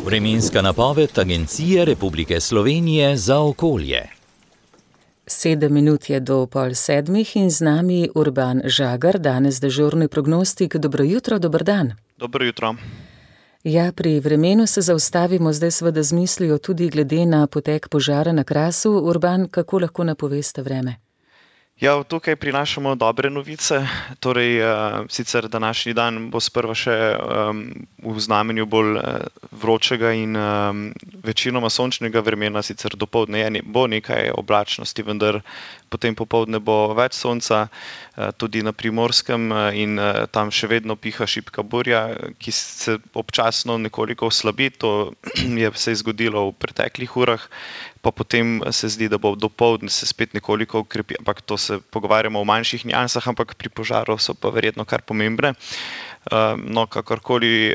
Vremenska napoved Agencije Republike Slovenije za okolje. 7 minut je do 6:30 in z nami Urban Žagar, danes dežurni prognostik. Dobro jutro, dober dan. Dobro jutro. Ja, pri vremenu se zaustavimo zdaj seveda z mislijo tudi glede na potek požara na Krasu. Urban, kako lahko napoveste vreme? Ja, tukaj prinašamo dobre novice. Torej, sicer današnji dan bo sprva še v znamenju bolj vročega in večinoma sončnega vremena, sicer dopoldne bo nekaj oblačnosti, vendar potem popoldne bo več sonca, tudi na Primorskem, in tam še vedno piha šibka burja, ki se občasno nekoliko oslabi. To se je zgodilo v preteklih urah, pa potem se zdi, da bo dopoldne se spet nekoliko ukrepi, ampak to se pogovarjamo o manjših niansah, ampak pri požaru so pa verjetno kar pomembne. No, kakorkoli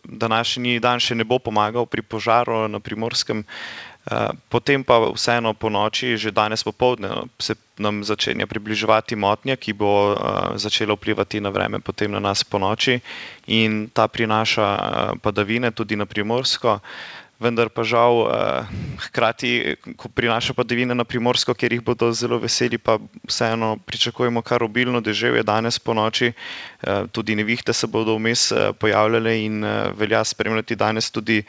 današnji dan še ne bo pomagal pri požaru na Primorskem, potem pa vseeno po noči, že danes popoldne, se nam začenja približevati motnja, ki bo začela vplivati na vreme potem na nas po noči, in ta prinaša padavine tudi na Primorsko. Vendar pa žal, hkrati, ko prinaša padavine na Primorsko, kjer jih bodo zelo veseli, pa vseeno pričakujemo kar obilno deževje danes po noči. Tudi nevihte se bodo vmes pojavljale in velja spremljati danes tudi,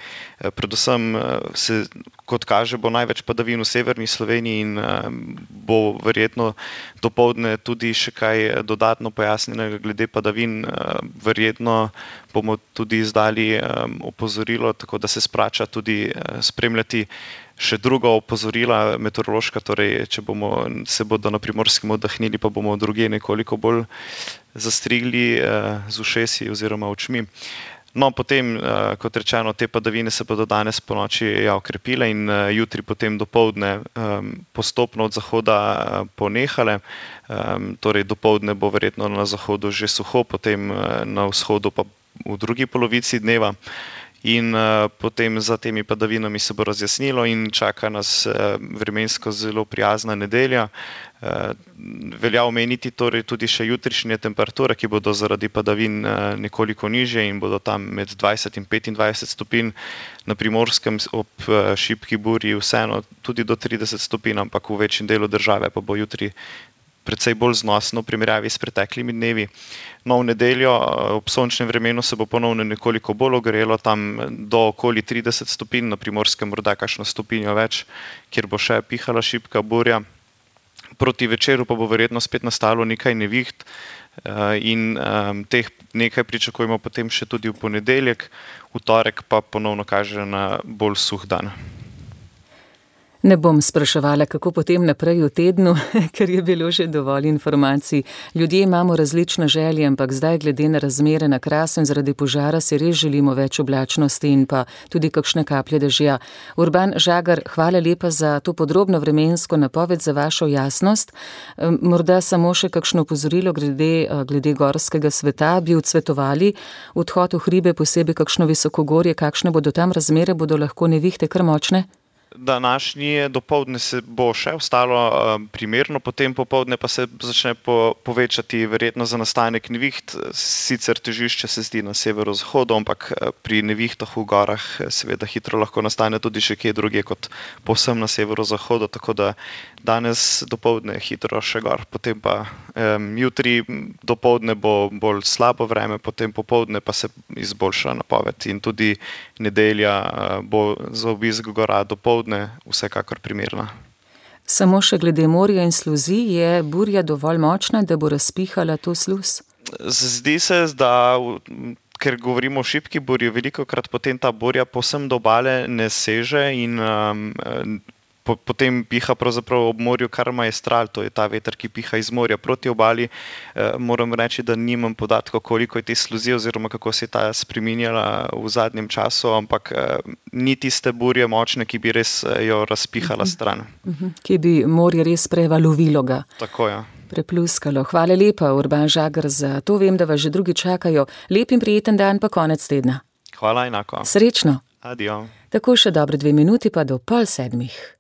predvsem kot kaže, bo največ padavin v severni Sloveniji in bo verjetno dopoldne tudi še kaj dodatno pojasnjenega glede padavin. Verjetno bomo tudi izdali opozorilo, tako da se splača tudi spremljati še druga opozorila meteorološka, torej če se bodo na Primorskem oddahnili, pa bomo drugje nekoliko bolj zastrigli z ušesi oziroma očmi. No, potem, kot rečeno, te padavine se bodo danes po noči okrepile in jutri potem dopoldne postopno od zahoda ponehale. Torej dopoldne bo verjetno na zahodu že suho, potem na vzhodu pa v drugi polovici dneva. In potem za temi padavinami se bo razjasnilo in čaka nas vremensko zelo prijazna nedelja. Velja omeniti torej tudi še jutrišnje temperature, ki bodo zaradi padavin nekoliko nižje in bodo tam med 20 in 25 stopinj. Na Primorskem ob šibki burji vseeno tudi do 30 stopinj, ampak v večjem delu države pa bo jutri precej bolj znosno v primerjavi s preteklimi dnevi. No, v nedeljo ob sončnem vremenu se bo ponovno nekoliko bolj ogrelo, tam do okoli 30 stopinj, na Primorskem morda kakšno stopinjo več, kjer bo še pihala šibka burja. Proti večeru pa bo verjetno spet nastalo nekaj neviht in teh nekaj pričakujemo potem še tudi v ponedeljek, v torek pa ponovno kaže na bolj suh dan. Ne bom spraševala, kako potem naprej v tednu, ker je bilo že dovolj informacij. Ljudje imamo različne želje, ampak zdaj glede na razmere na Krasu in zaradi požara si res želimo več oblačnosti in pa tudi kakšne kaplje dežja. Urban Žagar, hvala lepa za to podrobno vremensko napoved, za vašo jasnost. Morda samo še kakšno opozorilo glede gorskega sveta. Bi odsvetovali odhod v hribe, posebej kakšno visokogorje, kakšne bodo tam razmere, bodo lahko nevihte kar močne? Današnje dopoldne se bo še ostalo primerno, potem popoldne pa se začne povečati verjetno za nastanek neviht. Sicer težišče se zdi na severozahodu, ampak pri nevihtah v gorah seveda hitro lahko nastane tudi še kje drugje kot povsem na severozahodu, tako da danes dopoldne hitro še gor, potem pa jutri dopoldne bo bolj slabo vreme, potem popoldne pa se izboljša napoved in tudi nedelja bo za obisk gora dopoldne vsekakor primerna. Samo še glede morja in sluzi, je burja dovolj močna, da bo razpihala to sluz? Zdi se, da ker govorimo o šibki burji, velikokrat potem ta burja povsem do obale ne seže in potem piha pravzaprav ob morju kar maestral, to je ta veter, ki piha iz morja proti obali. Moram reči, da nimam podatkov, koliko je te sluzi oziroma kako se je ta spreminjala v zadnjem času, ampak ni tiste burje močne, ki bi res jo razpihala stran. Ki bi morje res prevalovilo ga. Tako, ja. Prepluskalo. Hvala lepa, Urban Žagar, za to. Vem, da vas že drugi čakajo. Lep in prijeten dan pa konec tedna. Hvala, enako. Srečno. Adijo. Tako še dobre 2 minuti pa do 6:30.